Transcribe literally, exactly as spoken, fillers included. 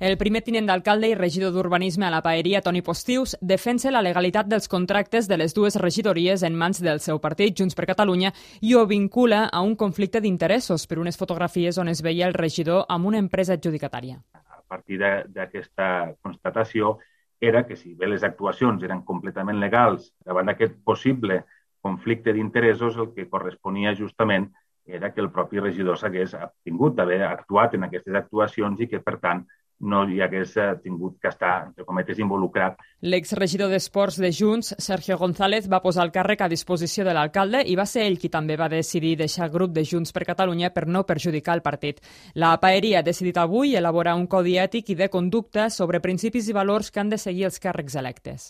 El primer tinent d'alcalde i regidor d'Urbanisme a la Paeria, Toni Postius, defensa la legalitat dels contractes de les dues regidories en mans del seu partit, Junts per Catalunya, i ho vincula a un conflicte d'interessos per unes fotografies on es veia el regidor amb una empresa adjudicatària. A partir d'aquesta constatació era que si bé les actuacions eren completament legals davant d'aquest possible conflicte d'interessos, el que corresponia justament era que el propi regidor s'hagués abstingut d'haver actuat en aquestes actuacions i que, per tant, no hi hagués tingut que estar, entre cometes, involucrat. L'exregidor d'Esports de Junts, Sergio González, va posar el càrrec a disposició de l'alcalde i va ser ell qui també va decidir deixar el grup de Junts per Catalunya per no perjudicar el partit. La Paeria ha decidit avui elaborar un codi ètic i de conducta sobre principis i valors que han de seguir els càrrecs electes.